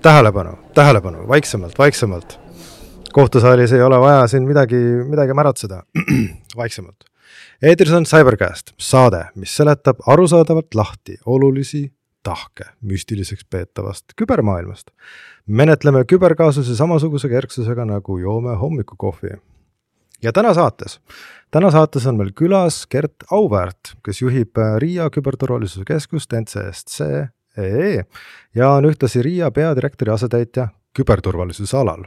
tähelepanu, vaiksemalt. Kohtusaalis ei ole vaja siin midagi märatseda. Vaiksemalt. Eetris on Cybercast, saade, mis seletab arusaadavalt lahti olulisi tahke müstiliseks peetavast kübermaailmast. Menetleme küberkaasuse samasuguse kerksusega nagu joome hommikukohvi. Ja täna saates on meil külas Gert Auväärt, kes juhib Riia küberturvalisuse keskust NCSC EE ja on ühtlasi Riia peadirektori asetäitja küberturvalisuse alal.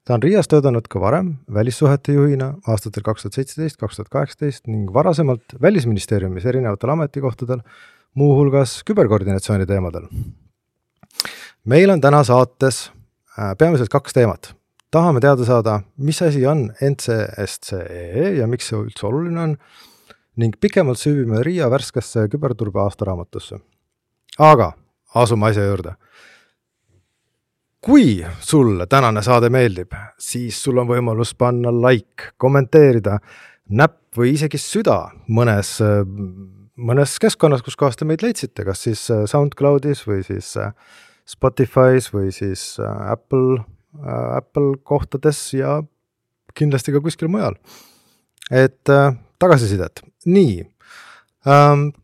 Ta on Riias töötanud ka varem välissuhete juhina aastatel 2017-2018 ning varasemalt Välisministeeriumis erinevatel ametikohtadel, muuhulgas küberkoordinatsiooni teemadel. Meil on täna saates peamiselt 2 teemat. Tahame teada saada, mis asi on NCSCE ja miks see üldse oluline on, ning pikemalt süüvime Riia värskesse küberturbe aastaraamatusse. Aga asume asja juurde. Kui sulle tänane saade meeldib, siis sul on võimalus panna like, kommenteerida, näpp või isegi süda mõnes keskkonnas, kus kohast te meid leidsite, kas siis SoundCloudis või siis Spotify's või siis Apple kohtades ja kindlasti ka kuskil mujal. Et tagasisidet. Nii,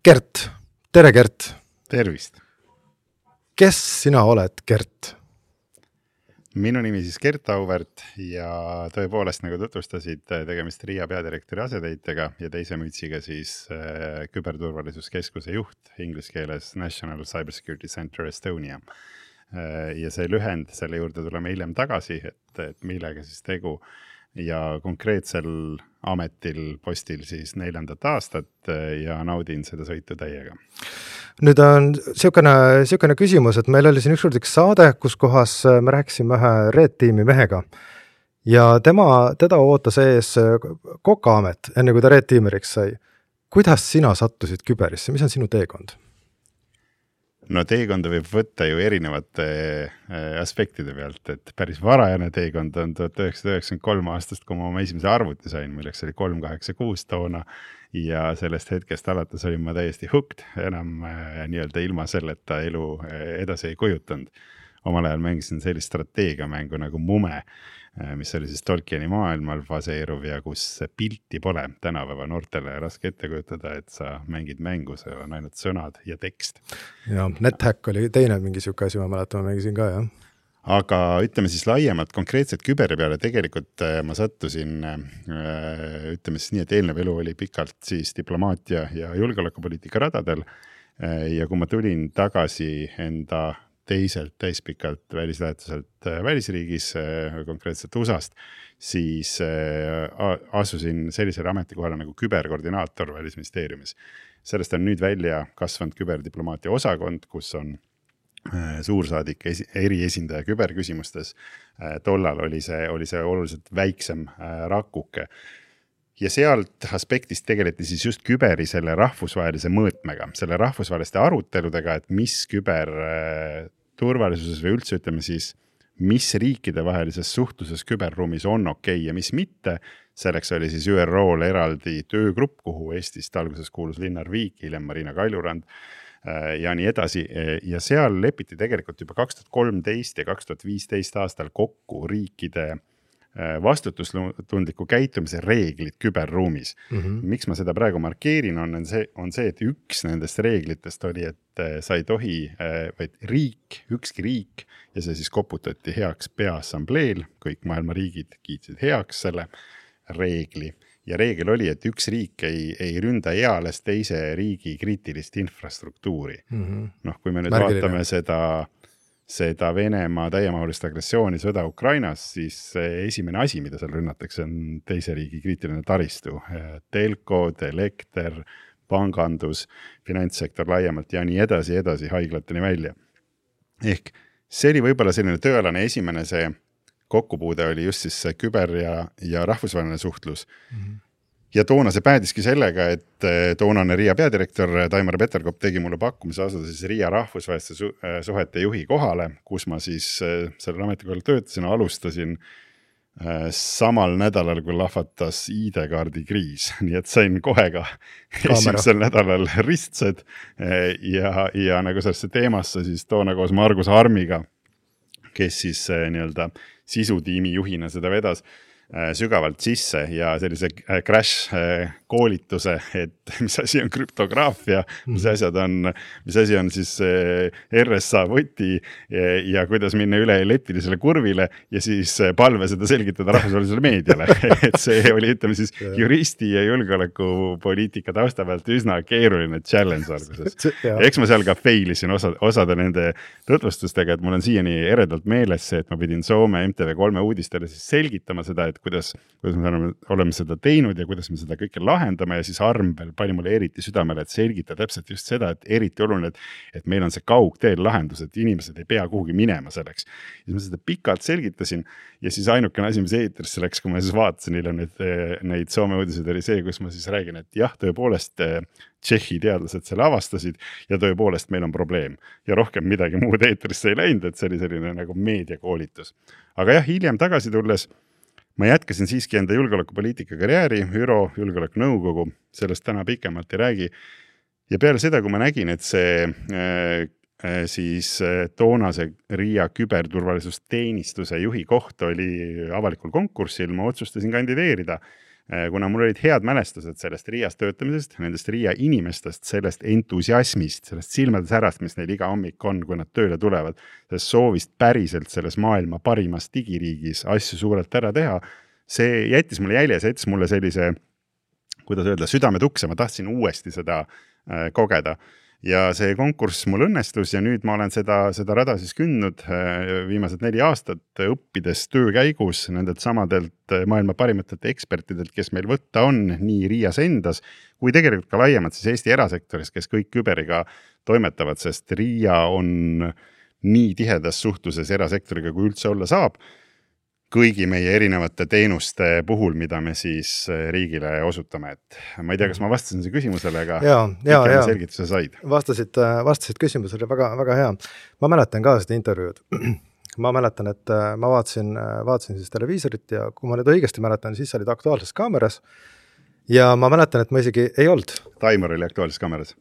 Gert, tere Gert. Tervist. Kes sina oled, Gert? Minu nimi siis Gert Auväärt ja tõepoolest, nagu tutvustasid, tegemist Riia peadirektori asetäitjaga ja teise mütsiga siis küberturvalisuskeskuse juht, inglise keeles National Cybersecurity Center Estonia. Ja see lühend, selle juurde tuleme hiljem tagasi, et millega siis tegu ja konkreetsel postil siis 4. aastat ja naudin seda sõitu täiega. Nüüd on siukene küsimus, et meil oli siin ükskord üks saade, kus kohas me rääkisime ühe Red Teami mehega ja teda ootas ees Kokaamet, enne kui ta Red Teameriks sai. Kuidas sina sattusid küberisse? Mis on sinu teekond? No teekonda võib võtta ju erinevate aspektide pealt, et päris varajane teekond on 1993 aastast, kui ma oma esimese arvuti sain, milleks oli 386 toona ja sellest hetkest alates olin ma täiesti hooked, enam nii-öelda ilma selleta elu edasi ei kujutanud. Omal ajal mängisin sellist strateegiamängu nagu Mume, mis oli siis Tolkieni maailmal baseeruv ja kus pilti pole tänapäeva noortele raske ette kujutada, et sa mängid mängu, see on ainult sõnad ja tekst. Ja NetHack oli teine mingi siuke asi, ma mäletan, ma mängisin ka, jah. Aga ütleme siis laiemalt konkreetselt küberi peale tegelikult ma sattusin, ütleme siis nii, et eelnev elu oli pikalt siis diplomaatia ja julgeolekupoliitika radadel ja kui ma tulin tagasi enda teiselt täispikalt välislähetuselt välisriigis, konkreetselt USAst, siis asusin sellisele ametikohale nagu küberkoordinaator Välisministeeriumis. Sellest on nüüd välja kasvanud küberdiplomaatia osakond, kus on suursaadik eriesindaja küberküsimustes. Tollal oli see oluliselt väiksem rakuke. Ja sealt aspektist tegeleti siis just küberi selle rahvusvahelise mõõtmega, selle rahvusvaheliste aruteludega, et mis küber turvalisuses või üldse ütleme siis, mis riikide vahelises suhtluses küberruumis on okei ja mis mitte. Selleks oli siis ÜRO-l eraldi töögrupp, kuhu Eestist alguses kuulus Linnar Viik, hiljem Marina Kaljurand ja nii edasi. Ja seal lepiti tegelikult juba 2013 ja 2015 aastal kokku riikide vastutustundliku käitumise reeglid küberruumis. Miks ma seda praegu markeerin, on see, et üks nendest reeglitest oli, et sa ei tohi, vaid ükski riik, ja see siis koputati heaks peaassambleel, kõik maailma riigid kiitsid heaks selle reegli. Ja reegel oli, et üks riik ei ründa eales teise riigi kriitilist infrastruktuuri. Kui me nüüd vaatame seda Venemaa täiemahulist agressiooni sõda Ukrainas, siis esimene asi, mida seal rünnatakse, on teise riigi kriitiline taristu. Telkod, elekter, pangandus, finantssektor laiemalt ja nii edasi haiglateni välja. Ehk see oli võib-olla selline tööalane esimene see kokkupuude oli just siis see küber ja rahvusvaheline suhtlus. Ja toona see päädiski sellega, et toonane Riia peadirektor Taimar Peterkop tegi mulle pakkumise asuda siis Riia rahvusvaheliste suhete juhi kohale, kus ma siis sellel ametikohal töötasin, alustasin samal nädalal, kui lahvatas ID-kaardi kriis. Nii et sain kohe ka esimesel nädalal ristsed ja nagu sellesse teemasse siis toona koos Margus Armiga kes siis nii-öelda sisutiimi juhina seda vedas sügavalt sisse ja sellise crash koolituse, et mis asi on krüptograafia, mis asi on siis RSA võti ja kuidas minna üle elliptilisele kurvile ja siis palve seda selgitada rahvusvahelisele meediale. Et see oli, ütleme siis, juristi ja julgeolekupoliitika tausta pealt üsna keeruline challenge alguses. Eks ma seal ka failisin osade nende tutvustustega, et mul on siiani eredalt meeles see, et ma pidin Soome MTV3 uudistele siis selgitama seda, et kuidas me oleme seda teinud ja kuidas me seda kõike lahendame ja siis Arm veel pani mulle eriti südamele, et selgita täpselt just seda, et eriti oluline, et meil on see kaugteel lahendus, et inimesed ei pea kuhugi minema selleks. Ja ma seda pikalt selgitasin ja siis ainukene asi, mis eetrisse läks, kui ma siis vaatasin neid Soome uudiseid, oli see, kus ma siis räägin, et jah, tõepoolest Tšehhi teadlased selle avastasid ja tõepoolest meil on probleem. Ja rohkem midagi muud eetrisse ei läinud, et see oli selline nagu meediakoolitus. Aga jah, hiljem tagasi tulles ma jätkasin siiski enda julgeolekupoliitika karjääri, ÜRO julgeolekunõukogu, sellest täna pikemalt ei räägi. Ja peale seda, kui ma nägin, et see siis toonase Riia küberturvalisusteenistuse juhi koht oli avalikul konkursil, ma otsustasin kandideerida, kuna mul olid head mälestused sellest Riias töötamisest, nendest Riia inimestest, sellest entusiasmist, sellest silmade särast, mis neil iga hommik on, kui nad tööle tulevad, sellest soovist päriselt selles maailma parimas digiriigis asju suurelt ära teha, see jättis mulle jälje, see jättis mulle sellise, kuidas öelda, südametukse, ma tahtsin uuesti seda kogeda. Ja see konkurss mul õnnestus ja nüüd ma olen seda rada siis kündnud viimased 4 aastat õppides töö käigus nendelt samadelt maailma parimatelt ekspertidelt, kes meil võtta on nii Riias endas, kui tegelikult ka laiemalt siis Eesti erasektoris, kes kõik küberiga toimetavad, sest Riia on nii tihedas suhtluses erasektoriga, kui üldse olla saab, kõigi meie erinevate teenuste puhul, mida me siis riigile osutame. Et ma ei tea, kas ma vastasin see küsimusele, aga selgituse said. Vastasid küsimusele, väga, väga hea. Ma mäletan ka seda intervjuud. Ma mäletan, et ma vaatasin siis televiisorit ja kui ma nüüd õigesti mäletan, siis olid Aktuaalses kaameras ja ma mäletan, et ma isegi ei olnud. Taimur oli Aktuaalses kaameras.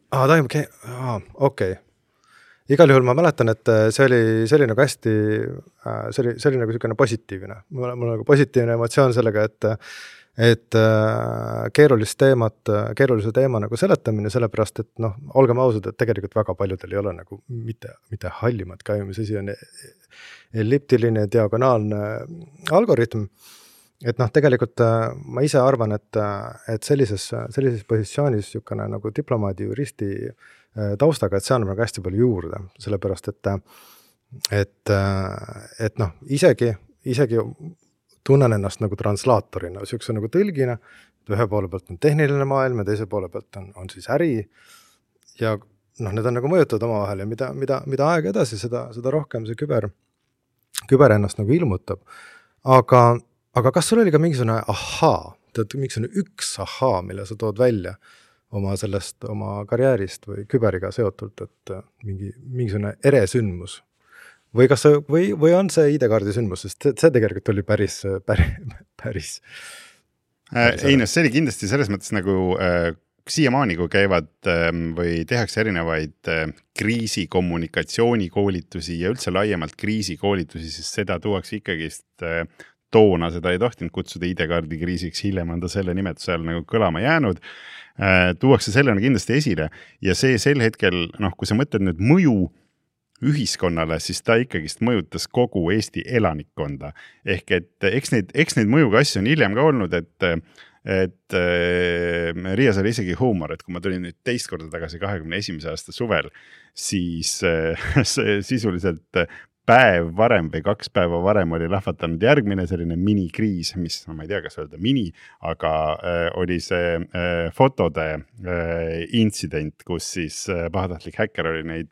Okei. Igal juhul ma mäletan, et see oli nagu hästi, see oli nagu selline positiivne. Mul on nagu positiivne emotsioon sellega, et keerulise teema nagu seletamine, sellepärast, et olgem ausad, et tegelikult väga paljudel ei ole nagu mitte hallimat ka, mis asi on elliptiline, diagonaalne algoritm. Et tegelikult ma ise arvan, et sellises positsioonis niisugune nagu diplomaadi, juristi taustaga, et see annab nagu hästi palju juurde, sellepärast, et isegi tunnen ennast nagu translaatorina, niisuguse nagu tõlgina, ühe poole pealt on tehniline maailm ja teise poole pealt on siis äri ja need on nagu mõjutavad omavahel ja mida aeg edasi, seda rohkem see küber ennast nagu ilmutab. Aga kas sul oli ka mingisugune mingisugune üks mille sa tood välja oma karjäärist või küberiga seotult, et mingisugune eresündmus või on see ID-kaardi sündmus, sest see tegelikult oli päris see oli kindlasti selles mõttes nagu siiamaani, kui käivad või tehakse erinevaid kriisikommunikatsioonikoolitusi ja üldse laiemalt kriisikoolitusi, siis seda tuuakse ikkagist toona, seda ei tohtinud kutsuda ID-kaardi kriisiks, hiljem on ta selle nimetuse all nagu kõlama jäänud. Tuuakse sellena kindlasti esile ja see sel hetkel, kui sa mõtled nüüd mõju ühiskonnale, siis ta ikkagist mõjutas kogu Eesti elanikkonda. Ehk et eks neid mõjuga asju on hiljem ka olnud, et Riias oli isegi huumor, et kui ma tulin nüüd teist korda tagasi 21. aasta suvel, siis sisuliselt päev varem või 2 päeva varem oli lahvatanud järgmine selline minikriis, mis, ma ei tea, kas öelda mini, aga oli see fotode intsident, kus siis pahatahtlik häkker oli neid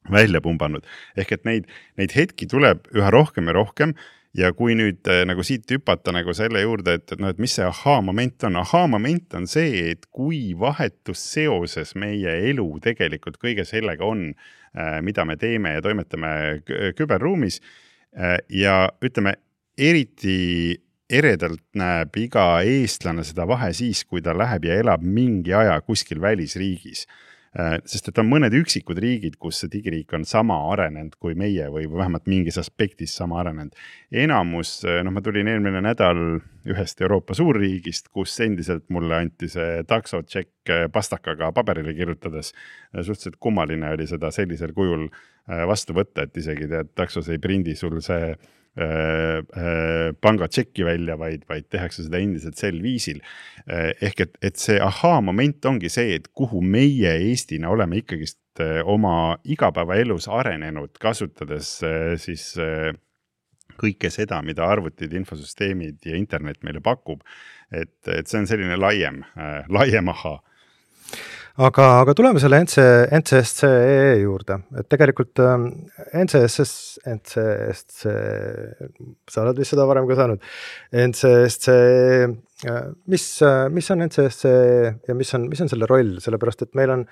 välja pumbanud. Ehk et neid hetki tuleb üha rohkem ja rohkem ja kui nüüd nagu siit hüpata nagu selle juurde, et mis see aha-moment on? Aha-moment on see, et kui vahetus seoses meie elu tegelikult kõige sellega on, mida me teeme ja toimetame küberruumis ja ütleme, eriti eredalt näeb iga eestlane seda vahe siis, kui ta läheb ja elab mingi aja kuskil välisriigis. sest et on mõned üksikud riigid, kus see digiriik on sama arenenud kui meie või vähemalt mingis aspektis sama arenenud. Enamus, ma tulin eelmine nädal ühest Euroopa suurriigist, kus endiselt mulle anti see taksotšekk pastakaga paberile kirjutades. Suhteliselt kummaline oli seda sellisel kujul vastu võtta, et isegi taksos ei prindi sul see pangatšekki välja, vaid tehakse seda endiselt sel viisil. Ehk et see moment ongi see, et kuhu meie Eestina oleme ikkagist oma igapäevaelus arenenud, kasutades siis kõike seda, mida arvutid, infosüsteemid ja internet meile pakub. Et see on selline laiem aha. Aga tuleme selle NCSC juurde, et tegelikult NCSC, sa oled vist seda varem ka saanud, NCSC, mis on NCSC ja mis on selle roll, sellepärast et meil on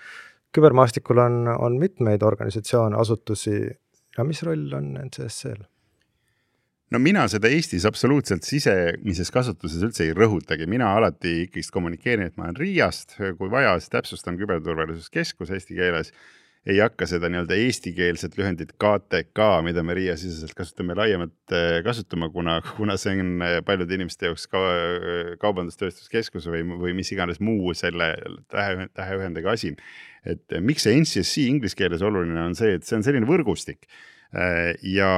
kübermaastikul on mitmeid organisatsioone, asutusi ja mis roll on NCSC-l? No mina seda Eestis absoluutselt sisemises kasutuses üldse ei rõhutagi. Mina alati ikkagi kommunikeerin, et ma olen RIA-st, kui vaja, siis täpsustan küberturvalisuskeskus eesti keeles. Ei hakka seda nii-öelda eestikeelset lühendit KTK, mida me RIA siseselt kasutame laiemalt kasutama, kuna see on paljude inimeste jaoks kaubandustööstuskeskus või mis iganes muu selle täheühendega asi. Et miks see NCSC inglise keeles oluline on see, et see on selline võrgustik ja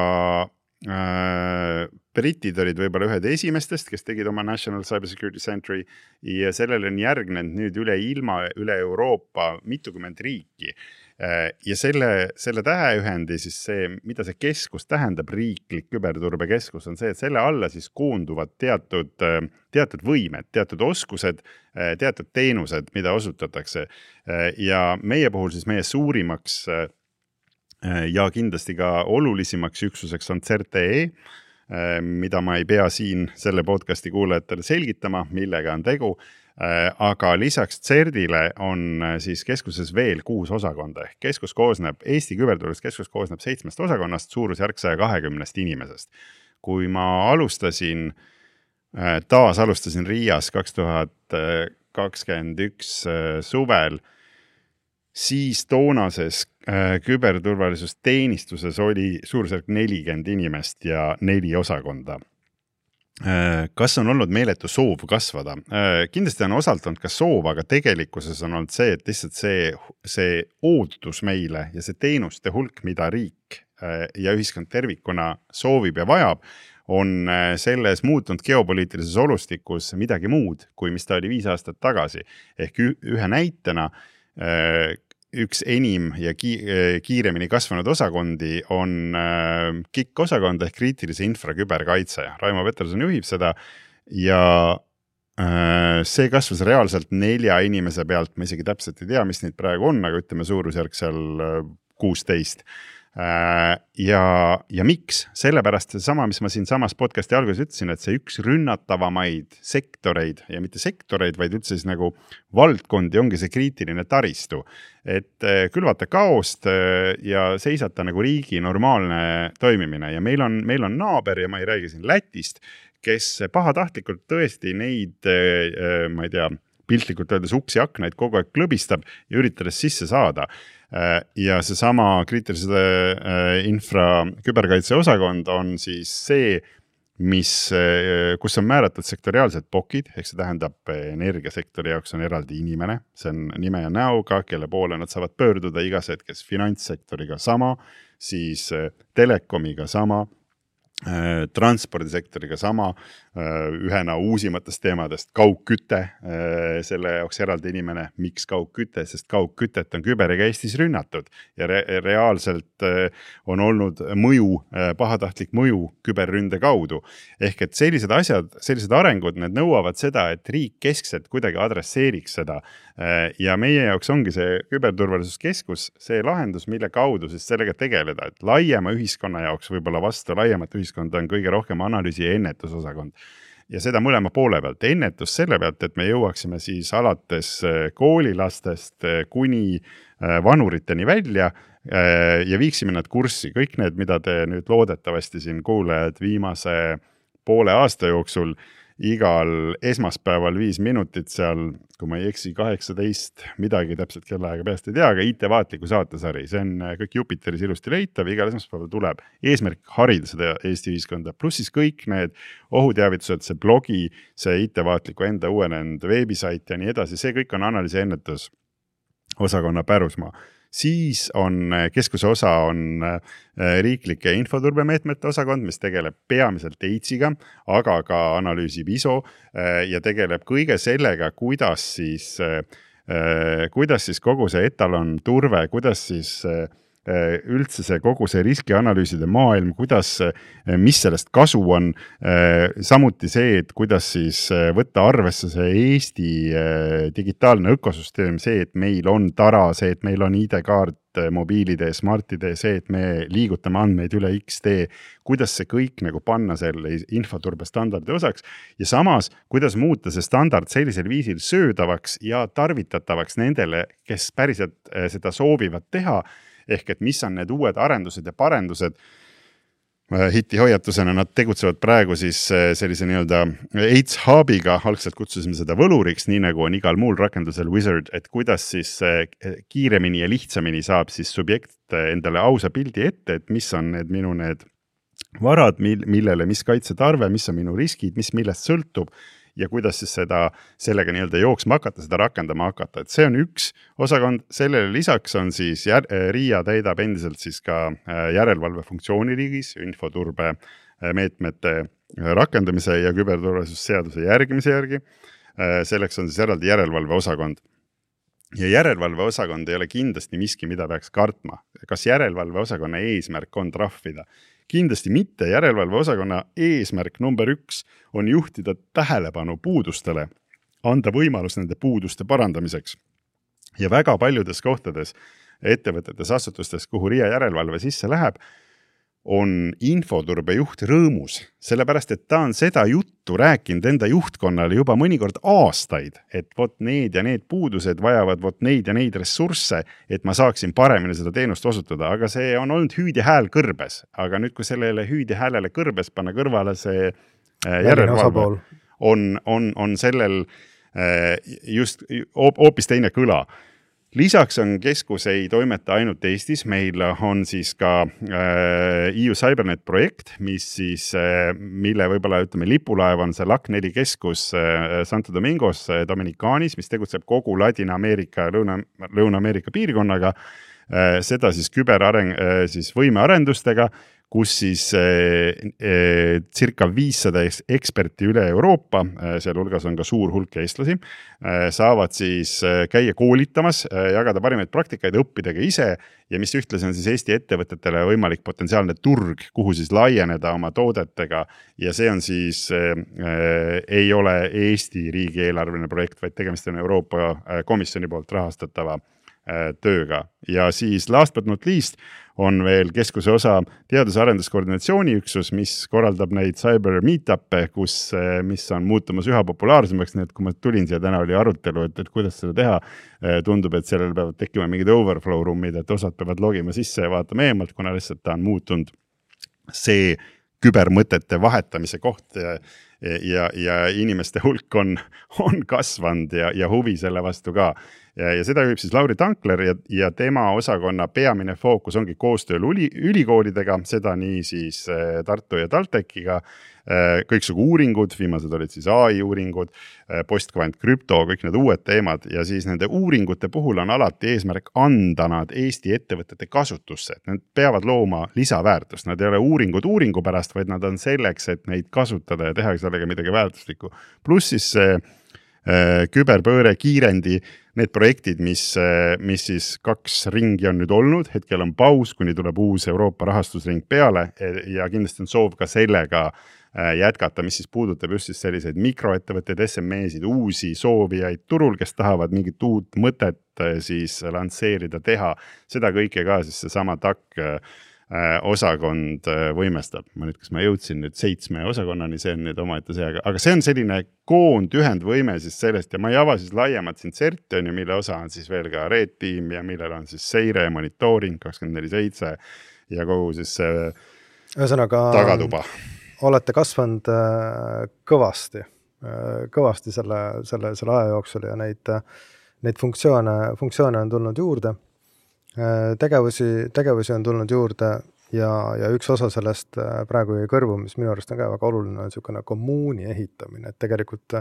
britid olid võib-olla ühed esimestest, kes tegid oma National Cybersecurity Centri ja sellele on järgnenud nüüd üle ilma, üle Euroopa mitukümmend riiki. Ja selle täheühendi siis see, mida see keskus tähendab, riiklik küberturbekeskus, on see, et selle alla siis koonduvad teatud võimed, teatud oskused, teatud teenused, mida osutatakse. Ja meie puhul siis meie suurimaks ja kindlasti ka olulisimaks üksuseks on CERT-E, mida ma ei pea siin selle podcasti kuulajatele selgitama, millega on tegu, aga lisaks CERT-ile on siis keskuses veel 6 osakonda. Eesti küberturvalisuskeskus koosneb 7 osakonnast, suurusjärk 120 inimesest. Kui ma alustasin RIA-s 2021 suvel, siis toonases küberturvalisusteenistuses oli suurusjärk 40 inimest ja 4 osakonda. Kas on olnud meeletu soov kasvada? Kindlasti on osalt olnud ka soov, aga tegelikkuses on olnud see, et lihtsalt see ootus meile ja see teenuste hulk, mida riik ja ühiskond tervikuna soovib ja vajab, on selles muutunud geopoliitilises olustikus midagi muud, kui mis ta oli 5 aastat tagasi. Ehk ühe näitena üks enim ja kiiremini kasvanud osakondi on KIK osakond ehk kriitilise infra küberkaitse. Raimo Peterson juhib seda ja see kasvas reaalselt 4 inimese pealt. Ma isegi täpselt ei tea, mis neid praegu on, aga ütleme suurusjärk seal 16. Ja miks? Sellepärast seesama, mis ma siin samas podcasti alguses ütlesin, et see üks rünnatavamaid sektoreid ja mitte sektoreid, vaid üldse siis nagu valdkondi ongi see kriitiline taristu. Et külvata kaost ja seisata nagu riigi normaalne toimimine ja meil on naaber ja ma ei räägi siin Lätist, kes pahatahtlikult tõesti neid, ma ei tea, piltlikult öeldes uksi aknaid kogu aeg klõbistab ja üritades sisse saada. Ja seesama kriitilise infra küberkaitse osakond on siis see, kus on määratud sektoriaalsed pokid, ehk see tähendab energiasektori jaoks on eraldi inimene, see on nime ja näoga, kelle poole nad saavad pöörduda igas hetkes, finantssektoriga sama, siis telekomiga sama, transpordisektoriga sama, ühena uusimatest teemadest kaugküte, selle jaoks eraldi inimene, miks kaugküte, sest kaugkütet on küberiga Eestis rünnatud ja reaalselt on olnud pahatahtlik mõju küberründe kaudu. Ehk et sellised asjad, sellised arengud, need nõuavad seda, et riik keskselt kuidagi adresseeriks seda ja meie jaoks ongi see küberturvalisuskeskus see lahendus, mille kaudu siis sellega tegeleda, et laiema ühiskonna jaoks võib-olla vastu laiemat ühiskonda on kõige rohkem analüüsi ja ennetusosakond. Ja seda mõlema poole pealt. Ennetus selle pealt, et me jõuaksime siis alates koolilastest kuni vanuriteni välja ja viiksime nad kurssi. Kõik need, mida te nüüd loodetavasti siin kuulajad viimase poole aasta jooksul igal esmaspäeval 5 minutit seal, kui ma ei eksi, 18 midagi täpselt kellaaega peast ei tea, aga IT-vaatliku saatesari, see on kõik Jupiteris ilusti leitav, igal esmaspäeval tuleb eesmärk harida seda Eesti ühiskonda, pluss siis kõik need ohuteavitused, see blogi, see IT-vaatliku enda uuenenud veebisait ja nii edasi, see kõik on analüüsi ennetusosakonna pärusmaa. Siis on keskuse osa on riiklike infoturbemeetmete osakond, mis tegeleb peamiselt AIDS-iga, aga ka analüüsib ISO ja tegeleb kõige sellega, kuidas siis kogu see etalon turve, kuidas siis üldse see kogu see riskianalüüside maailm, mis sellest kasu on, samuti see, et kuidas siis võtta arvesse see Eesti digitaalne ökosüsteem, see, et meil on tara, see, et meil on ID-kaart mobiilide, smartide, see, et me liigutame andmeid üle XD, kuidas see kõik nagu panna selle infoturbe standardi osaks ja samas, kuidas muuta see standard sellisel viisil söödavaks ja tarvitatavaks nendele, kes päriselt seda soovivad teha, ehk et mis on need uued arendused ja parendused. Hiti hoiatusena nad tegutsevad praegu siis sellise nii-öelda AIDS Hubiga, algselt kutsusime seda võluriks, nii nagu on igal muul rakendusel Wizard, et kuidas siis kiiremini ja lihtsamini saab siis subjekt endale ausa pildi ette, et mis on minu varad, millele mis kaitsetarve, mis on minu riskid, mis millest sõltub ja kuidas siis sellega nii-öelda jooksma hakata, seda rakendama hakata. Et see on üks osakond, sellele lisaks on siis RIA täidab endiselt siis ka järelevalve funktsiooni riigis, infoturbe meetmete rakendamise ja küberturvalisusseaduse järgimise järgi. Selleks on siis eraldi järelevalve osakond. Ja järelevalve osakond ei ole kindlasti miski, mida peaks kartma. Kas järelevalve osakonna eesmärk on trahvida? Kindlasti mitte. Järelevalve osakonna eesmärk number 1 on juhtida tähelepanu puudustele, anda võimalus nende puuduste parandamiseks. Ja väga paljudes kohtades, ettevõtetes, asutustes, kuhu RIA järelevalve sisse läheb, on infoturbe juht rõõmus, sellepärast, et ta on seda juttu rääkinud enda juhtkonnale juba mõnikord aastaid, et vot need ja need puudused vajavad vot neid ja neid ressursse, et ma saaksin paremini seda teenust osutada, aga see on olnud hüüd ja hääl kõrbes, aga nüüd, kui sellele hüüd ja häälele kõrbes panna kõrvale see järelevalve, on sellel just hoopis teine kõla. Lisaks on keskus ei toimeta ainult Eestis, meil on siis ka EU CyberNet projekt, mille võib-olla lipulaev on see LAC4 keskus Santo Domingos Dominikaanis, mis tegutseb kogu Ladina-Ameerika ja Lõuna-Ameerika piirkonnaga, seda siis võimearendustega, kus siis circa 500 eksperti üle Euroopa, seal hulgas on ka suur hulk eestlasi, saavad siis käia koolitamas, jagada parimaid praktikaid, õppida ka ise ja mis ühtlasi on siis Eesti ettevõtetele võimalik potentsiaalne turg, kuhu siis laieneda oma toodetega ja see on siis, ei ole Eesti riigieelarveline projekt, vaid tegemist on Euroopa Komisjoni poolt rahastatava tööga. Ja siis last but not least on veel keskuse osa teadus- ja arenduskoordinatsiooniüksus, mis korraldab neid cyber meetuppe, mis on muutumas üha populaarsemaks, nii et kui ma tulin siia täna oli arutelu, et kuidas seda teha, tundub, et sellel peavad tekkima mingid overflow ruumid, et osad peavad logima sisse ja vaatama eemalt, kuna lihtsalt ta on muutunud see kübermõtete vahetamise koht ja inimeste hulk on kasvanud ja huvi selle vastu ka. Ja seda juhib siis Lauri Tankler ja tema osakonna peamine fookus ongi koostööl ülikoolidega, seda nii siis Tartu ja TalTechiga, kõiksugu uuringud, viimased olid siis AI uuringud, postkvant, krüpto, kõik need uued teemad ja siis nende uuringute puhul on alati eesmärk anda nad Eesti ettevõtete kasutusse, et nad peavad looma lisaväärtust, nad ei ole uuringud uuringu pärast, vaid nad on selleks, et neid kasutada ja teha sellega midagi väärtuslikku. Pluss siis küberpööre, kiirendi, need projektid, mis siis 2 ringi on nüüd olnud, hetkel on paus, kuni tuleb uus Euroopa rahastusring peale ja kindlasti on soov ka sellega jätkata, mis siis puudutab just siis selliseid mikroettevõtteid, SME-sid, uusi soovijaid turul, kes tahavad mingit uut mõtet siis lansseerida, teha. Seda kõike ka siis see sama TAK osakond võimestab. Kas ma jõudsin nüüd 7 osakonnani, see on nüüd omaette see, aga see on selline ühendvõime siis sellest ja ma ei ava siis laiemalt siin CERT, mille osa on siis veel ka Red Team ja millel on siis seire, monitooring 24/7 ja kogu siis ühesõnaga tagatuba. Olete kasvanud kõvasti kõvasti selle aja jooksul ja neid funktsioone on tulnud juurde, tegevusi on tulnud juurde ja üks osa sellest praegu jäi kõrvu, mis minu arust on ka väga oluline, on niisugune kommuuni ehitamine, et tegelikult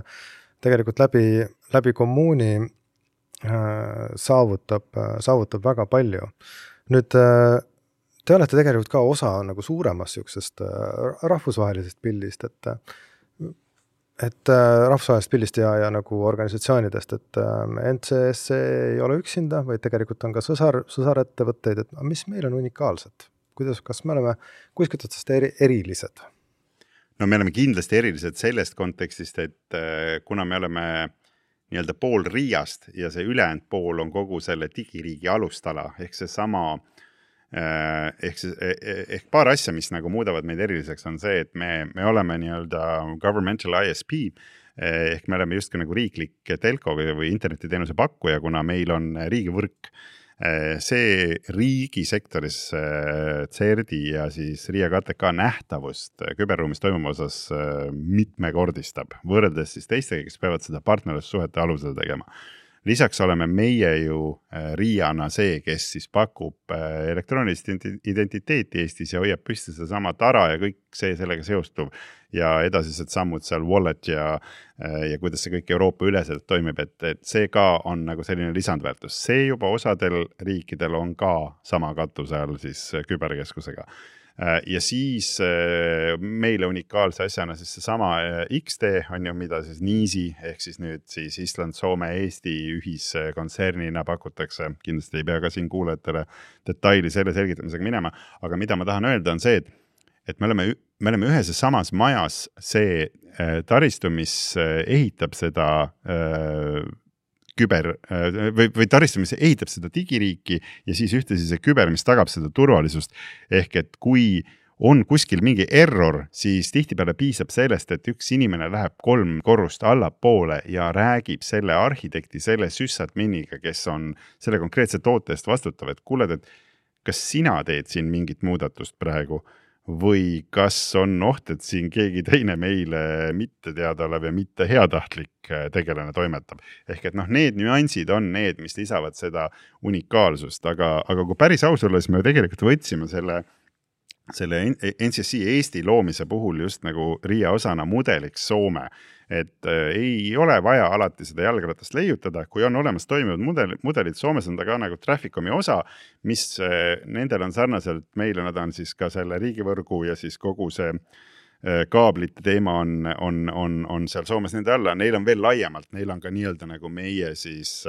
läbi kommuuni saavutab väga palju. Nüüd te olete tegelikult ka osa nagu suuremast niisugusest rahvusvahelisest pildist, et rahvusvahelisest pildist ja nagu organisatsioonidest, et NCSC ei ole üksinda, vaid tegelikult on ka sõsarettevõtteid, et mis meil on unikaalsed? Kas me oleme kuskilt otsast erilised? No me oleme kindlasti erilised sellest kontekstist, et kuna me oleme nii-öelda pool Riiast ja see ülejäänud pool on kogu selle digiriigi alustala, ehk see sama ehk paar asja, mis nagu muudavad meid eriliseks, on see, et me oleme nii-öelda governmental ISP, ehk me oleme justkui nagu riiklik telko või internetiteenuse pakkuja, kuna meil on riigivõrk. See riigisektoris CERDi ja siis Riia KTK nähtavust küberruumis toimuma osas mitmekordistab, võrreldes siis teistega, kes peavad seda partnerlussuhete alusel tegema. Lisaks oleme meie ju Riiana see, kes siis pakub elektroonilist identiteeti Eestis ja hoiab püsti seda sama tara ja kõik see sellega seostuv ja edasised sammud seal wallet ja kuidas see kõik Euroopa üleselt toimib, et see ka on nagu selline lisandväärtus. See juba osadel riikidel on ka sama katuse all siis küberkeskusega. Ja siis meile unikaalse asjana siis see sama XD on ju, mida siis NIISI ehk siis nüüd siis Island, Soome, Eesti ühiskontserniina pakutakse. Kindlasti ei pea ka siin kuulajatele detaili selle selgitamisega minema, aga mida ma tahan öelda on see, et me oleme ühes ja samas majas see taristu, mis ehitab seda või taristu, mis ehitab seda digiriiki ja siis ühtlasi see küber, mis tagab seda turvalisust. Ehk et kui on kuskil mingi error, siis tihtipeale piisab sellest, et üks inimene läheb 3 korrust allapoole ja räägib selle arhitekti, selle sysadminiga, kes on selle konkreetse toote eest vastutav, et kuuled, et kas sina teed siin mingit muudatust praegu või kas on oht, et siin keegi teine meile mitte teada olev ja mitte heatahtlik tegelane toimetab. Ehk et need nüansid on need, mis lisavad seda unikaalsust, aga kui päris aus olla, siis me tegelikult võtsime selle NCSC Eesti loomise puhul just nagu Riia osana mudeliks Soome, et ei ole vaja alati seda jalgratast leiutada, kui on olemas toimivad mudelid, Soomes on ta ka nagu Trafficomi osa, mis nendel on sarnaselt meile, nad on siis ka selle riigivõrgu ja siis kogu see kaablite teema on seal Soomes nende alla, neil on veel laiemalt, neil on ka nii-öelda nagu meie siis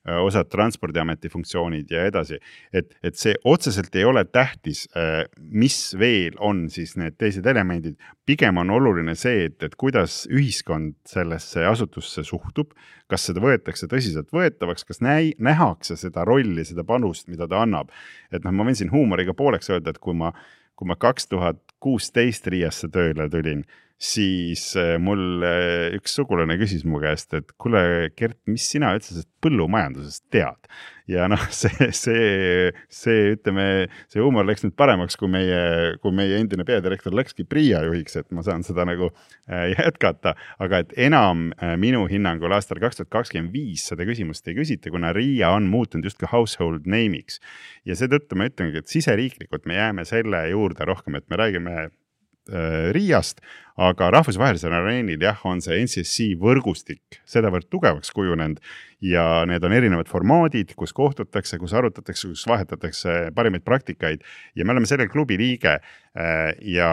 osad transpordiameti funktsioonid ja edasi, et see otseselt ei ole tähtis, mis veel on siis need teised elemendid. Pigem on oluline see, et kuidas ühiskond sellesse asutusse suhtub, kas seda võetakse tõsiselt võetavaks, kas nähakse seda rolli, seda panust, mida ta annab. Et ma võin siin huumoriga pooleks öelda, et kui ma 2016 Riiasse tööle tulin, siis mul üks sugulane küsis mu käest, et kuule, Gert, mis sina üldse põllumajandusest tead? Ja see huumor läks nüüd paremaks, kui meie endine peadirektor läkski Priia juhiks, et ma saan seda nagu jätkata, aga et enam minu hinnangul aastal 2025 seda küsimust ei küsita, kuna Riia on muutunud just ka household name'iks. Ja seetõttu ma ütlengi, et siseriiklikult me jääme selle juurde rohkem, et me räägime Riiast, aga rahvusvahelisel areenil on see NCSC võrgustik sedavõrd tugevaks kujunenud ja need on erinevad formaadid, kus kohtutakse, kus arutatakse, kus vahetatakse parimaid praktikaid ja me oleme selle klubi liige ja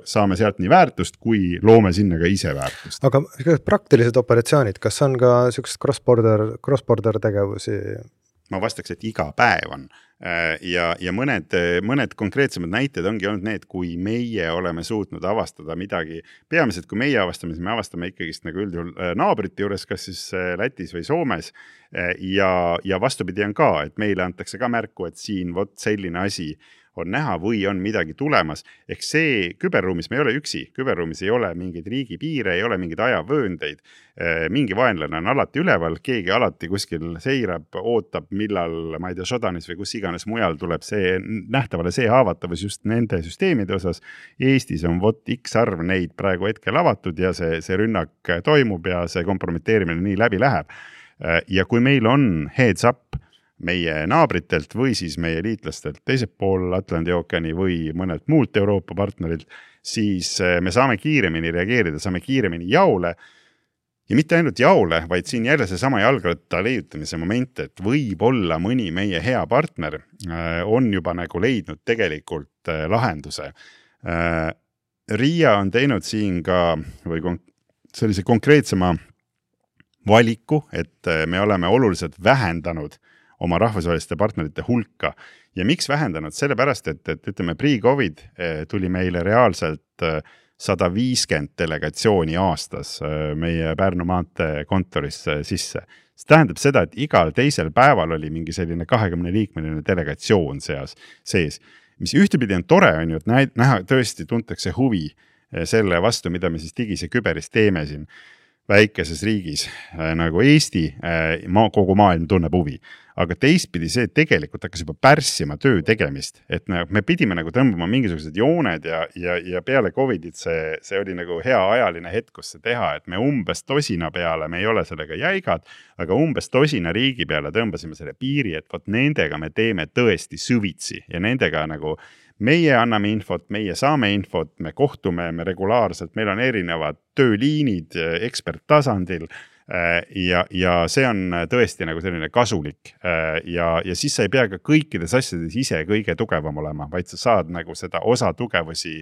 saame sealt nii väärtust, kui loome sinna ka ise väärtust. Aga praktilised operatsioonid, kas on ka sellised cross-border tegevusi? Ma vastaks, et iga päev on. Ja mõned konkreetsemad näited ongi olnud need, kui meie oleme suutnud avastada midagi. Peamiselt, kui meie avastame, siis me avastame ikkagist nagu üldjuhul naabrite juures, kas siis Lätis või Soomes. Ja vastupidi on ka, et meile antakse ka märku, et siin selline asi on näha või on midagi tulemas. Ehk see küberruumis me ei ole üksi, küberruumis ei ole mingeid riigipiire, ei ole mingeid ajavööndeid. Mingi vaenlane on alati üleval, keegi alati kuskil seirab, ootab, millal, ma ei tea, Shodanis või kus iganes mujal tuleb see nähtavale see haavatavus just nende süsteemide osas. Eestis on X arv neid praegu hetkel avatud ja see rünnak toimub ja see kompromiteerimine nii läbi läheb. Ja kui meil on heads up meie naabritelt või siis meie liitlastelt teiselt pool Atlandi ookeani või mõnelt muult Euroopa partnerilt, siis me saame kiiremini reageerida, saame kiiremini jaole ja mitte ainult jaole, vaid siin jälle see sama jalgratta leiutamise moment, et võib-olla mõni meie hea partner on juba nagu leidnud tegelikult lahenduse. Riia on teinud siin ka või sellise konkreetsema valiku, et me oleme oluliselt vähendanud oma rahvusvaheliste partnerite hulka. Ja miks vähendanud? Sellepärast, et ütleme, pre-COVID tuli meile reaalselt 150 delegatsiooni aastas meie Pärnu maantee kontorisse sisse. See tähendab seda, et igal teisel päeval oli mingi selline 20-liikmeline delegatsioon sees. Mis ühtepidi on tore, on ju, et näha tõesti tuntakse huvi selle vastu, mida me siis digis ja küberis teeme siin väikeses riigis nagu Eesti, kogu maailm tunneb huvi. Aga teistpidi see tegelikult hakkas juba pärssima töö tegemist, et me pidime nagu tõmbama mingisugused jooned ja peale COVIDit see oli nagu hea ajaline hetk, kus see teha, et me umbes tosina peale, me ei ole sellega jäigad, aga umbes tosina riigi peale tõmbasime selle piiri, et võt nendega me teeme tõesti süvitsi ja nendega nagu meie anname infot, meie saame infot, me kohtume, me regulaarselt, meil on erinevad tööliinid eksperttasandil ja see on tõesti nagu selline kasulik ja siis sa ei pea ka kõikides asjades ise kõige tugevam olema, vaid sa saad nagu seda osa tugevusi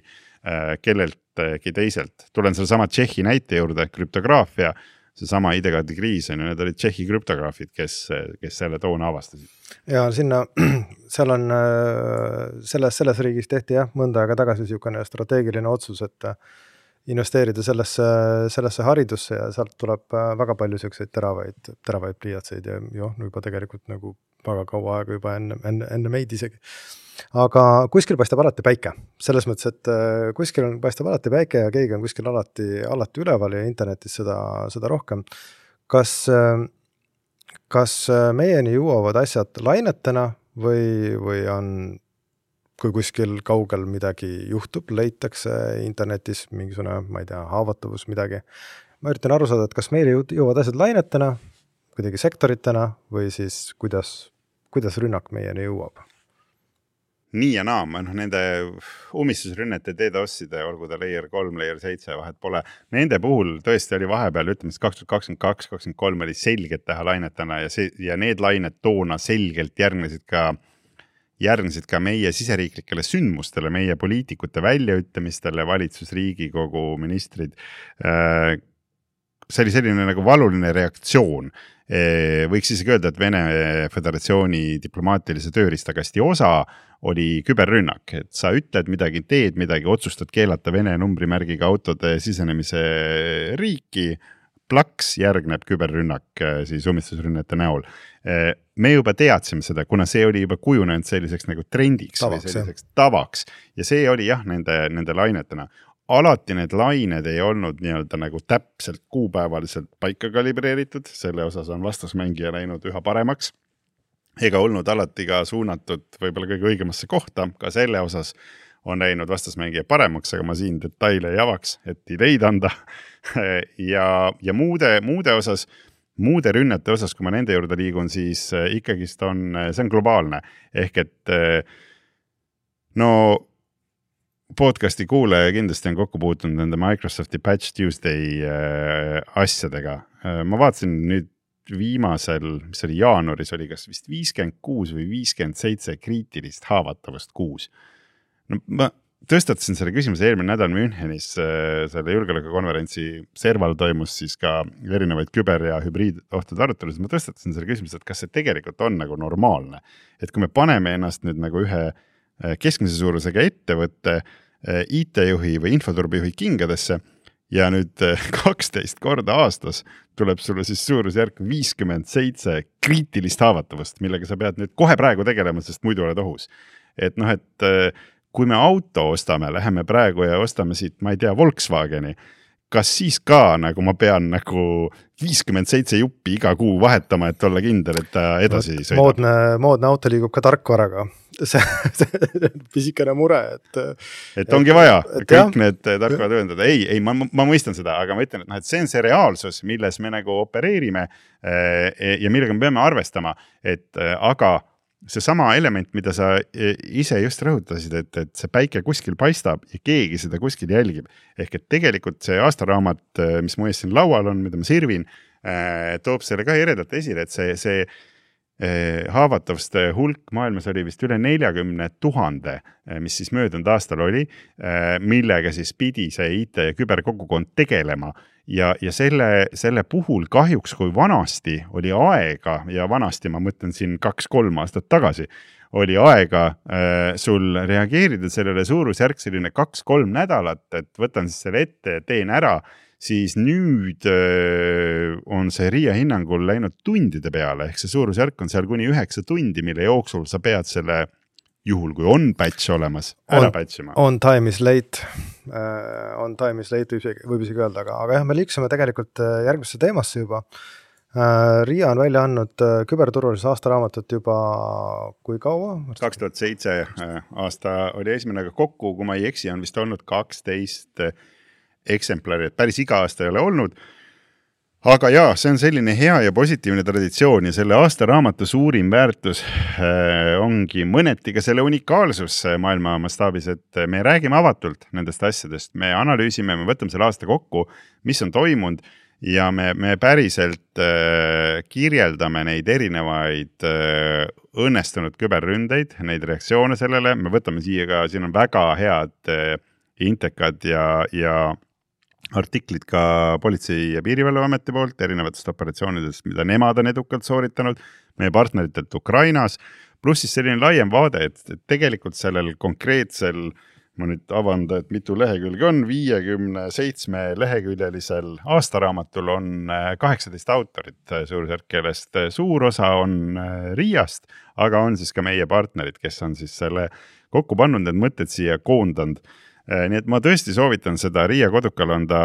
kelleltki teiselt. Tulen selle sama Tšehhi näite juurde, krüptograafia, see sama ID-kaardi kriis on ja need olid Tšehhi krüptograafid, kes selle toona avastasid. Ja seal on selles riigis tehti mõnda aega tagasi niisugune strateegiline otsus, et investeerida sellesse haridusse ja sealt tuleb väga palju selliseid teravaid pliiatseid ja juba tegelikult nagu väga kaua aega juba enne meid isegi. Aga kuskil paistab alati päike. Selles mõttes, et kuskil paistab alati päike ja keegi on kuskil alati üleval ja internetis seda rohkem. Kas meieni jõuavad asjad lainetena või on, kui kuskil kaugel midagi juhtub, leitakse internetis mingisugune, ma ei tea, haavatavus midagi. Ma üritan aru saada, et kas meile jõuavad asjad lainetena, kuidagi sektoritena või siis kuidas rünnak meieni jõuab? Nii ja naa, nende umistusrünnete DDoS-ide, olgu ta layer 3, layer 7, vahet pole. Nende puhul tõesti oli vahepeal, ütleme 2022-2023 oli selgelt teha lainetena ja need lained toona selgelt järgnesid ka meie siseriiklikele sündmustele, meie poliitikute väljaütlemistele, valitsus, Riigikogu, ministrid. See oli selline nagu valuline reaktsioon. Võiks isegi öelda, et Vene Föderatsiooni diplomaatilise tööriistakasti osa oli küberrünnak, et sa ütled midagi, teed midagi, otsustad keelata Vene numbrimärgiga autode sisenemise riiki, plaks järgneb küberrünnak siis umistusrünnete näol. Me juba teadsime seda, kuna see oli juba kujunenud selliseks nagu trendiks või selliseks tavaks ja see oli nende lainetena. Alati need lained ei olnud nii-öelda nagu täpselt kuupäevaliselt paika kalibreeritud, selle osas on vastasmängija läinud üha paremaks, ega olnud alati ka suunatud võib-olla kõige õigemasse kohta, ka selle osas on läinud vastasmängija paremaks, aga ma siin detaile ei avaks, et ideid anda ja muude osas, muude rünnete osas, kui ma nende juurde liigun, siis ikkagist see on globaalne, ehk et podcasti kuulaja kindlasti on kokku puutunud nende Microsofti Patch Tuesday asjadega. Ma vaatasin nüüd viimasel, mis oli jaanuaris, oli kas vist 56 või 57 kriitilist haavatavust kuus. Ma tõstatasin selle küsimuse eelmine nädal Münchenis, selle julgeolekukonverentsi serval toimus siis ka erinevaid küber- ja hübriidohtude arutelus. Ma tõstatasin selle küsimuse, et kas see tegelikult on nagu normaalne. Et kui me paneme ennast nüüd nagu ühe keskmise suurusega ettevõtte IT-juhi või infoturbejuhi kingadesse ja nüüd 12 korda aastas tuleb sulle siis suurusjärk 57 kriitilist haavatavust, millega sa pead nüüd kohe praegu tegelema, sest muidu oled ohus. et noh, et kui me auto ostame, läheme praegu ja ostame siit, ma ei tea, Volkswageni, kas siis ka nagu ma pean nagu 57 juppi iga kuu vahetama, et olla kindel, et ta edasi sõidab? Moodne auto liigub ka tarkvaraga. See pisikene mure, et ongi vaja kõik need tarkvarad ühendada. Ei, ma mõistan seda, aga ma ütlen, et see on see reaalsus, milles me nagu opereerime ja millega me peame arvestama, et aga see sama element, mida sa ise just rõhutasid, et see päike kuskil paistab ja keegi seda kuskil jälgib. Ehk et tegelikult see aastaraamat, mis mu ees siin laual on, mida ma sirvin, toob selle ka eredalt esile, et see haavatavuste hulk maailmas oli vist üle 40 000, mis siis möödunud aastal oli, millega siis pidi see IT ja küberkogukond tegelema. Ja selle puhul kahjuks, kui vanasti oli aega, ja vanasti ma mõtlen siin 2-3 aastat tagasi, oli aega sul reageerida sellele suurusjärk selline 2-3 nädalat, et võtan siis selle ette ja teen ära, siis nüüd on see RIA hinnangul läinud tundide peale, ehk see suurusjärk on seal kuni 9 tundi, mille jooksul sa pead selle juhul, kui on patch olemas, ära patchima. On time is late, võib isegi öelda, aga jah, me liiksime tegelikult järgmisse teemasse juba. RIA on välja andnud küberturvalise aastaraamatut juba kui kaua? 2007 aasta oli esimene, aga kokku, kui ma ei eksi, on vist olnud 12 eksemplari, et päris iga aasta ei ole olnud. Aga jaa, see on selline hea ja positiivne traditsioon ja selle aastaraamatu suurim väärtus ongi mõneti ka selle unikaalsus maailma mastaabis, et me räägime avatult nendest asjadest, me analüüsime, me võtame selle aasta kokku, mis on toimunud ja me päriselt kirjeldame neid erinevaid õnnestunud küberründeid, neid reaktsioone sellele, me võtame siia ka, siin on väga head intekad ja artiklid ka Politsei- ja Piirivalveameti poolt erinevatest operatsioonidest, mida nemad on edukalt sooritanud, meie partneritelt Ukrainas, pluss siis selline laiem vaade, et tegelikult sellel konkreetsel, ma nüüd avanda, et mitu lehekülge on, 57 leheküljelisel aastaraamatul on 18 autorit suurusjärk, kellest suur osa on RIA-st, aga on siis ka meie partnerid, kes on siis selle kokku pannud, need mõtted siia koondanud. Nii et ma tõesti soovitan seda, RIA kodukal on ta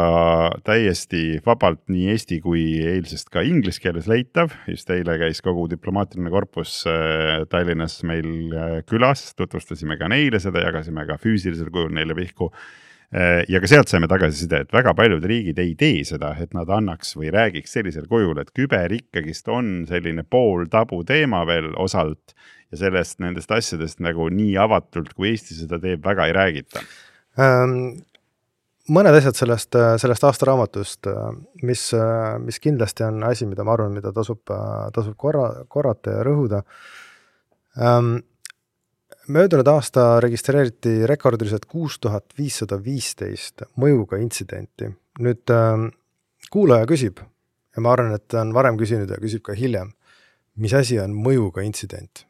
täiesti vabalt nii eesti kui eilsest ka inglise keeles leitav, just eile käis kogu diplomaatiline korpus Tallinnas meil külas, tutvustasime ka neile seda, jagasime ka füüsilisel kujul neile vihku ja ka sealt saime tagasiside, et väga paljud riigid ei tee seda, et nad annaks või räägiks sellisel kujul, et küber ikkagist on selline pool tabu teema veel osalt ja sellest nendest asjadest nagu nii avatult, kui Eesti seda teeb, väga ei räägita. Mõned asjad sellest aastaraamatust, mis kindlasti on asi, mida ma arvan, mida tasub korrata ja rõhuda. Möödunud aasta registreeriti rekordiliselt 6515 mõjuga intsidenti. Nüüd kuulaja küsib, ja ma arvan, et on varem küsinud ja küsib ka hiljem, mis asi on mõjuga intsident?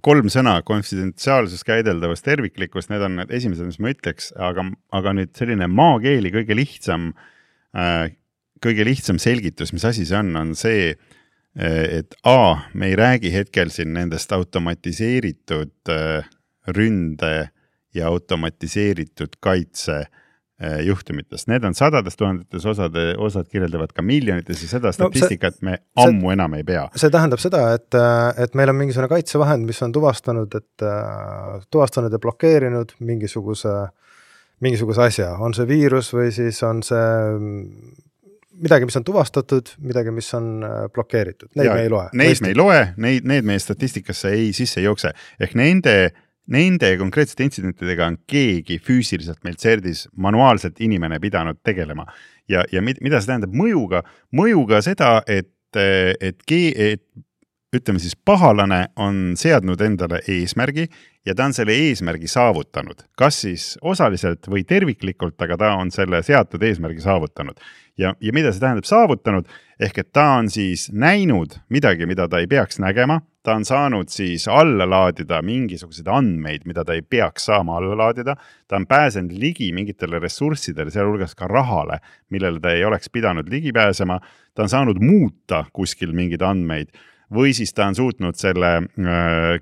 3 sõna, konfidentsiaalsus, käideldavus, terviklikkus, need on need esimesed, mis ma ütleks, aga nüüd selline maakeeli kõige lihtsam selgitus, mis asi see on see, et me ei räägi hetkel siin nendest automatiseeritud ründe ja automatiseeritud kaitse juhtumitest. Need on sadades tuhandetes, osad kirjeldavad ka miljonites ja seda statistikat me ammu enam ei pea. See tähendab seda, et meil on mingisugune kaitsevahend, mis on tuvastanud ja blokeerinud mingisuguse asja. On see viirus või siis on see midagi, mis on tuvastatud, midagi, mis on blokeeritud. Neid me ei loe. Neid me ei loe, need meie statistikasse ei sisse jookse. Ehk nende konkreetsete intsidentidega on keegi füüsiliselt meil CERDis manuaalselt inimene pidanud tegelema. Ja mida see tähendab mõjuga? Mõjuga seda, et ütleme siis pahalane on seadnud endale eesmärgi ja ta on selle eesmärgi saavutanud. Kas siis osaliselt või terviklikult, aga ta on selle seatud eesmärgi saavutanud. Ja mida see tähendab saavutanud? Ehk et ta on siis näinud midagi, mida ta ei peaks nägema, ta on saanud siis alla laadida mingisuguseid andmeid, mida ta ei peaks saama alla laadida, ta on pääsenud ligi mingitele ressurssidele, sealhulgas ka rahale, millele ta ei oleks pidanud ligi pääsema, ta on saanud muuta kuskil mingeid andmeid või siis ta on suutnud selle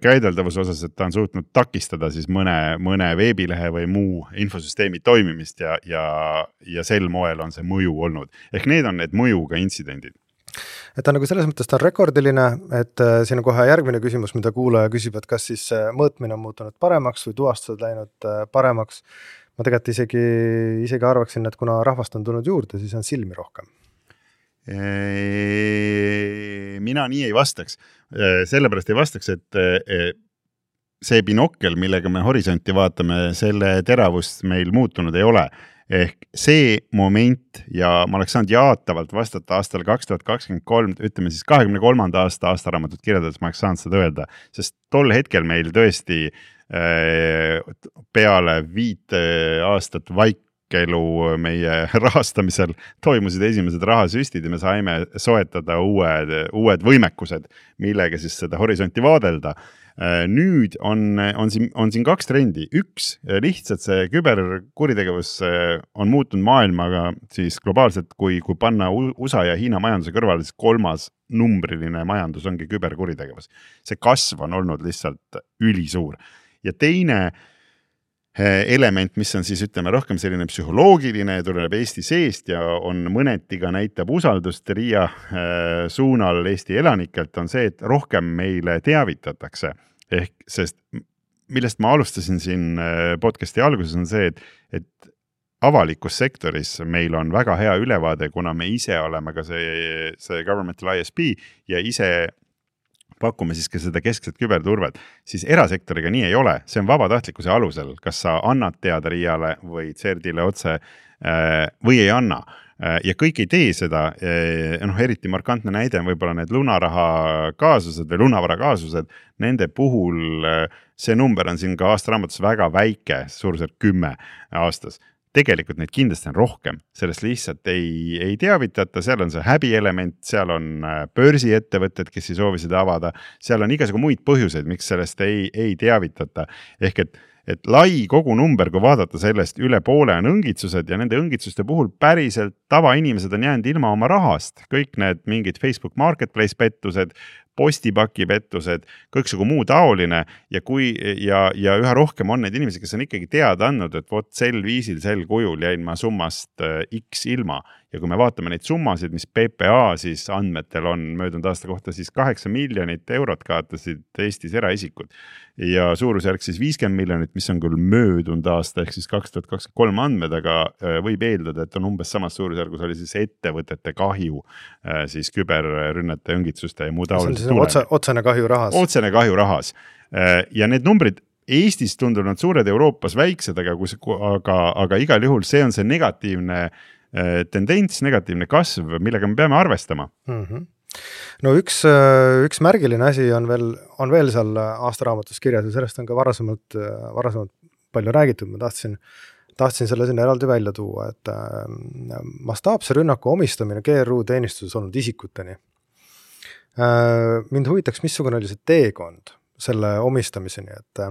käideldavuse osas, et ta on suutnud takistada siis mõne veebilehe või muu infosüsteemi toimimist ja sel moel on see mõju olnud. Ehk need on need mõjuga intsidendid. Et ta nagu selles mõttes ta on rekordiline, et siin on kohe järgmine küsimus, mida kuulaja küsib, et kas siis mõõtmine on muutunud paremaks või tuvastused läinud paremaks. Ma tegelikult isegi arvaksin, et kuna rahvast on tulnud juurde, siis on silmi rohkem. Mina nii ei vastaks. Sellepärast ei vastaks, et see binokkel, millega me horisonti vaatame, selle teravust meil muutunud ei ole. Ehk see moment ja ma oleks saanud jaatavalt vastata aastal 2023, ütleme siis 23. aastaraamatut kirjeldades ma oleks saanud seda öelda, sest tol hetkel meil tõesti peale 5 aastat vaikelu meie rahastamisel toimusid esimesed rahasüstid ja me saime soetada uued võimekused, millega siis seda horisonti vaadelda. Nüüd on siin 2 trendi. Üks, lihtsalt see küberkuritegevus on muutunud maailmaga siis globaalselt, kui panna USA ja Hiina majanduse kõrvale, siis 3. numbriline majandus ongi küberkuritegevus. See kasv on olnud lihtsalt ülisuur. Ja teine element, mis on siis ütleme rohkem selline psühholoogiline, tuleb Eesti seest ja on mõnetiga näitab usaldust RIA suunal Eesti elanikelt, on see, et rohkem meile teavitatakse. Ehk sest millest ma alustasin siin podcasti alguses on see, et avalikus sektoris meil on väga hea ülevaade, kuna me ise oleme ka see governmental ISP ja ise pakume siis ka seda keskset küberturvet, siis erasektoriga nii ei ole. See on vabatahtlikkuse alusel, kas sa annad teada RIA-le või CERD-ile otse või ei anna. Ja kõik ei tee seda, eriti markantne näide on võib-olla need lunaraha kaasused või lunavara kaasused, nende puhul see number on siin ka aastaraamatus väga väike, suurusjärk 10 aastas. Tegelikult neid kindlasti on rohkem, sellest lihtsalt ei teavitata, seal on see häbielement, seal on börsiettevõtted, kes ei soovi seda avada, seal on igasugu muid põhjuseid, miks sellest ei teavitata. Ehk et lai kogu number, kui vaadata sellest üle poole on õngitsused ja nende õngitsuste puhul päriselt tavainimesed on jäänud ilma oma rahast. Kõik need mingid Facebook Marketplace pettused, postipaki pettused, kõiksugu muu taoline ja üha rohkem on need inimesed, kes on ikkagi teada andnud, et vot sel viisil, sel kujul jäin ma summast X ilma. Ja kui me vaatame neid summasid, mis PPA siis andmetel on möödunud aasta kohta, siis 8 miljonit eurot kaotasid Eestis eraisikud. Ja suurusjärk siis 50 miljonit, mis on küll möödunud aasta, ehk siis 2023 andmed, aga võib eeldada, et on umbes samas suurusjärgus oli siis ettevõtete kahju siis küberrünnete, õngitsuste ja muu taolise otsene kahju rahas. Otsene kahju rahas. Ja need numbrid Eestis tunduvad suured, Euroopas väiksed, aga igal juhul see on see negatiivne tendents, negatiivne kasv, millega me peame arvestama. No üks märgiline asi on veel seal aastaraamatus kirjas ja sellest on ka varasemalt palju räägitud. Ma tahtsin selle sinna eraldi välja tuua, et mastaapse rünnaku omistamine GRU teenistuses olnud isikuteni. Mind huvitaks, missugune oli see teekond selle omistamiseni, et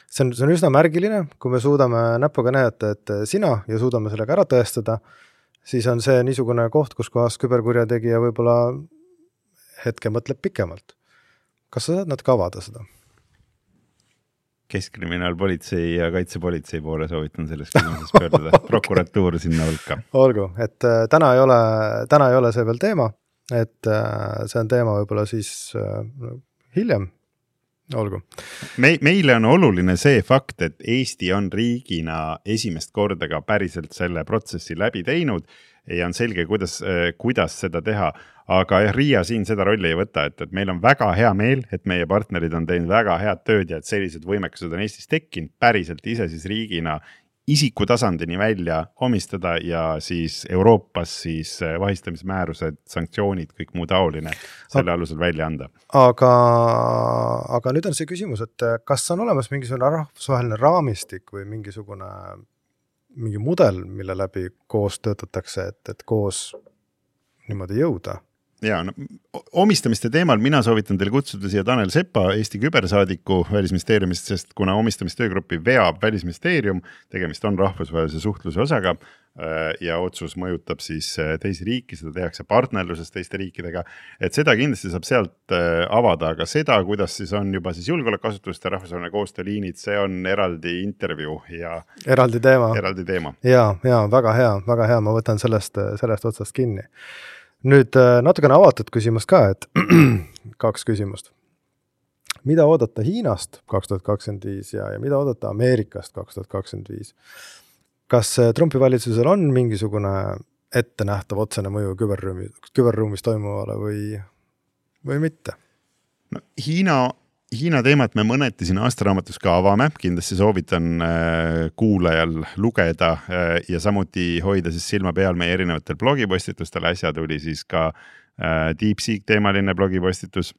see on üsna märgiline, kui me suudame näpuga näidata, et sina ja suudame sellega ära tõestada, siis on see niisugune koht, kus kohas küberkurjategija võib-olla hetke mõtleb pikemalt. Kas sa saad natuke avada seda? Keskkriminaalpolitsei ja kaitsepolitsei poole soovitan selles küsimuses pöörduda. Prokuratuur sinna hulka. Olgu, et täna ei ole see veel teema, et see on teema võib-olla siis hiljem. Olgu. Meile on oluline see fakt, et Eesti on riigina esimest korda ka päriselt selle protsessi läbi teinud ja on selge, kuidas seda teha. Aga RIA siin seda rolli ei võta, et meil on väga hea meel, et meie partnerid on teinud väga head tööd ja et sellised võimekused on Eestis tekkinud päriselt ise siis riigina isiku tasandini välja omistada ja siis Euroopas siis vahistamismäärused, sanktsioonid, kõik muu taoline selle alusel välja anda. Aga nüüd on see küsimus, et kas on olemas mingisugune rahvusvaheline raamistik või mingi mudel, mille läbi koos töötatakse, et koos niimoodi jõuda? Ja, omistamiste teemal mina soovitan teile kutsuda siia Tanel Sepa, Eesti kübersaadiku Välisministeeriumist, sest kuna omistamistöögruppi veab Välisministeerium, tegemist on rahvusvahelise suhtluse osaga, ja otsus mõjutab siis teisi riiki, seda tehakse partnerluses teiste riikidega, et seda kindlasti saab sealt avada, aga seda, kuidas siis on juba siis julgeolekuasutuste rahvusvaheline koostööliinid, see on eraldi intervjuu ja eraldi teema. Ja, väga hea, ma võtan sellest otsast kinni. Nüüd natukene avatud küsimus ka, et 2 küsimust. Mida oodata Hiinast 2025 ja mida oodata Ameerikast 2025? Kas Trumpi valitsusel on mingisugune ettenähtav otsene mõju küberruumis toimuvale või mitte? No, Hiina teemat me mõneti siin aastaraamatus ka avame, kindlasti soovitan kuulajal lugeda ja samuti hoida siis silma peal meie erinevatel blogipostitustel. Äsja tuli siis ka DeepSeek teemaline blogipostitus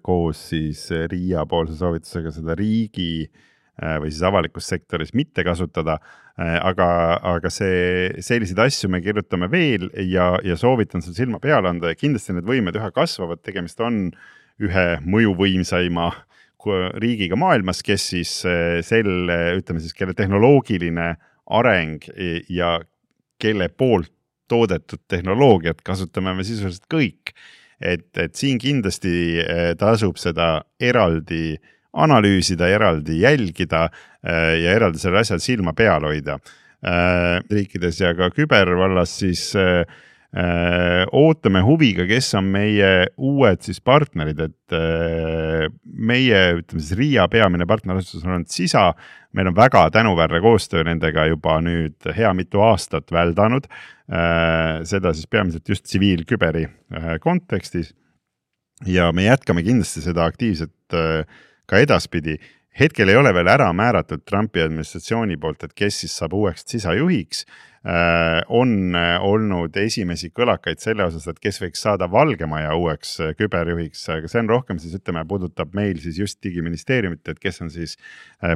koos siis Riia poolse soovitusega seda riigi või siis avalikus sektoris mitte kasutada, aga selliseid asju me kirjutame veel ja soovitan seal silma peale anda ja kindlasti need võimed üha kasvavad, tegemist on ühe mõjuvõimsaima riigiga maailmas, kes siis kelle tehnoloogiline areng ja kelle poolt toodetud tehnoloogiat kasutame me sisuliselt kõik, et siin kindlasti tasub seda eraldi analüüsida, eraldi jälgida ja eraldi selle asjal silma peal hoida. Riikides ja ka kübervallas siis ootame huviga, kes on meie uued siis partnerid, et meie siis Riia peamine partnerasutus on CISA, meil on väga tänuväärne koostöö nendega juba nüüd hea mitu aastat väldanud, seda siis peamiselt just tsiviilküberi kontekstis ja me jätkame kindlasti seda aktiivset ka edaspidi. Hetkel ei ole veel ära määratud Trumpi administratsiooni poolt, et kes siis saab uueks CISA juhiks. On olnud esimesi kõlakaid selle osas, et kes võiks saada Valgemaja uueks küberjuhiks, aga see on rohkem siis puudutab meil siis just digiministeeriumit, et kes on siis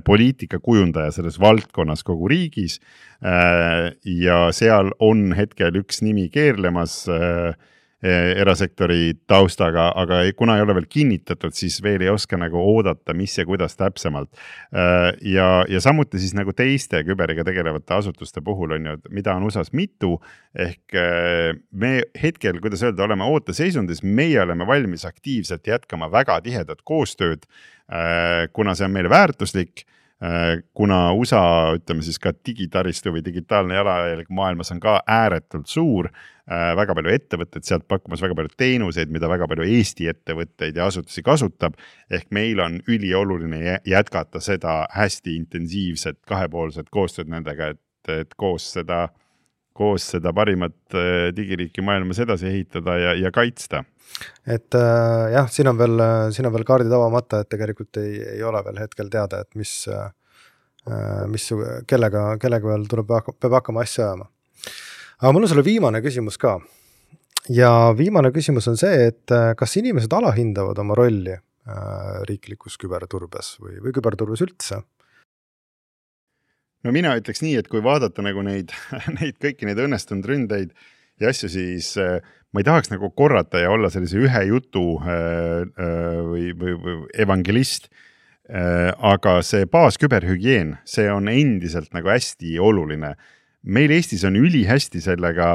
poliitikakujundaja selles valdkonnas kogu riigis ja seal on hetkel üks nimi keerlemas erasektori taustaga, aga kuna ei ole veel kinnitatud, siis veel ei oska nagu oodata, mis ja kuidas täpsemalt. Ja samuti siis nagu teiste küberiga tegelevate asutuste puhul on ju, mida on USAs mitu, ehk me hetkel, kuidas öelda, oleme ooteseisundis, meie oleme valmis aktiivselt jätkama väga tihedat koostööd, kuna see on meile väärtuslik, kuna USA, ütleme siis ka digitaristu või digitaalne jalajälg maailmas on ka ääretult suur, väga palju ettevõtteid sealt pakkumas, väga palju teenuseid, mida väga palju Eesti ettevõtteid ja asutusi kasutab, ehk meil on ülioluline jätkata seda hästi intensiivset kahepoolset koostööd nendega, et koos seda parimat digiriiki maailmas edasi ehitada ja kaitsta. Et jah, siin on veel kaardid avamata, et tegelikult ei ole veel hetkel teada, et kellega veel peab hakkama asja ajama. Aga mul on sulle viimane küsimus ka. Ja viimane küsimus on see, et kas inimesed alahindavad oma rolli riiklikus küberturbes või küberturbes üldse? No mina ütleks nii, et kui vaadata nagu neid kõiki neid õnnestunud ründeid ja asju, siis ma ei tahaks nagu korrata ja olla sellise ühe jutu või evangelist, aga see baasküberhügieen, see on endiselt nagu hästi oluline. Meil Eestis on ülihästi sellega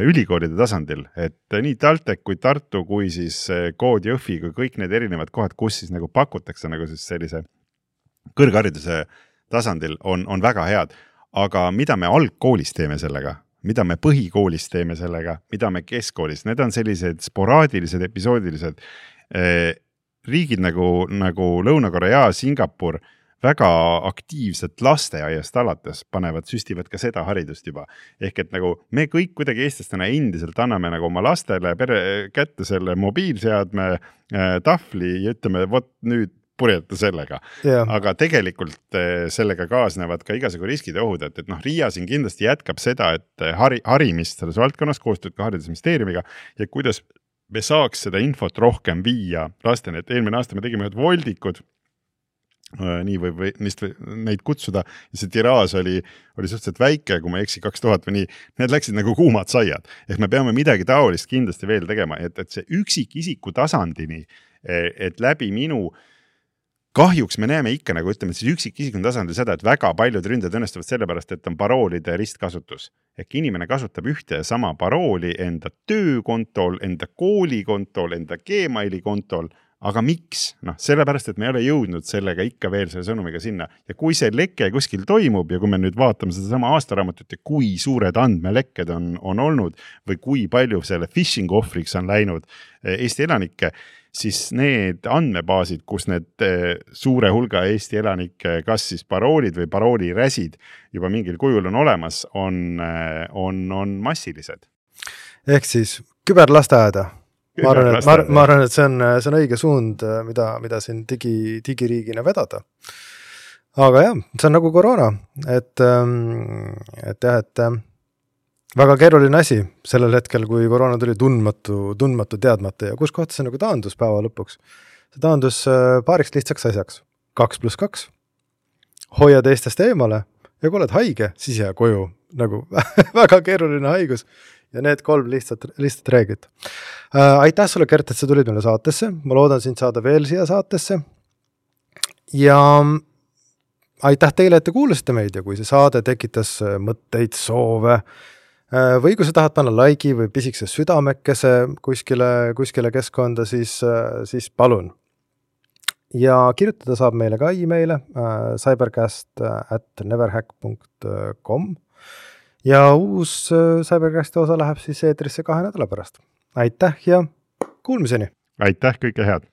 ülikoolide tasandil, et nii TalTech kui Tartu kui siis Kood Jõhvi kui kõik need erinevad kohad, kus siis nagu pakutakse nagu siis sellise kõrghariduse tasandil on väga head, aga mida me algkoolis teeme sellega, mida me põhikoolis teeme sellega, mida me keskkoolis, need on sellised sporaadilised, episoodilised riigid nagu Lõuna-Korea, Singapur, väga aktiivselt lasteaiast alates süstivad ka seda haridust juba. Ehk et nagu me kõik kuidagi eestlastena endiselt anname nagu oma lastele kätte selle mobiilseadme tahvli ja ütleme, vot nüüd purjeta sellega. Yeah. Aga tegelikult sellega kaasnevad ka igasugu riskid ja ohud, et Riia siin kindlasti jätkab seda, et harimist selles valdkonnas koostööd ka haridusministeeriumiga ja kuidas me saaks seda infot rohkem viia lasteni, et eelmine aasta me tegime ühed voldikud, nii või neid kutsuda ja see tiraas oli suhteliselt väike, kui ma eksi 2000 või nii, need läksid nagu kuumad saiad, ehk me peame midagi taolist kindlasti veel tegema, et see üksikisiku tasandini, et läbi minu kahjuks me näeme ikka nagu ütleme siis üksikisikuna tasandil seda, et väga paljud ründajad õnnestuvad sellepärast, et on paroolide ristkasutus. Ehk inimene kasutab ühte ja sama parooli enda töökontol, enda koolikontol, enda Gmaili kontol. Aga miks? Sellepärast, et me ei ole jõudnud sellega ikka veel selle sõnumiga sinna. Ja kui see leke kuskil toimub ja kui me nüüd vaatame seda sama aastaraamatut ja kui suured andmelekked on olnud või kui palju selle phishing ohvriks on läinud Eesti elanikke, siis need andmebaasid, kus need suure hulga Eesti elanike kas siis paroolid või parooliräsid juba mingil kujul on olemas, on massilised. Ehk siis küberlasteaeda. Ma arvan, et see on õige suund, mida siin digiriigina vedada. Aga jah, see on nagu koroona, et väga keeruline asi sellel hetkel, kui koroona tuli tundmatu teadmata ja kus kohta see nagu taandus päeva lõpuks. See taandus paariks lihtsaks asjaks. 2+2. Hoia teistest eemale ja kui oled haige, siis jää koju. Nagu väga keeruline haigus. Ja need 3 lihtsat reeglit. Aitäh sulle, Kert, et sa tulid meile saatesse. Ma loodan sind saada veel siia saatesse. Ja aitäh teile, et te kuulasite meid ja kui see saade tekitas mõtteid, soove või kui sa tahad panna laigi või pisikse südamekese kuskile keskkonda, siis palun. Ja kirjutada saab meile ka e-maile cybercast@neverhack.com ja uus Cybercasti osa läheb siis eetrisse 2 nädala pärast. Aitäh ja kuulmiseni! Aitäh, kõike head!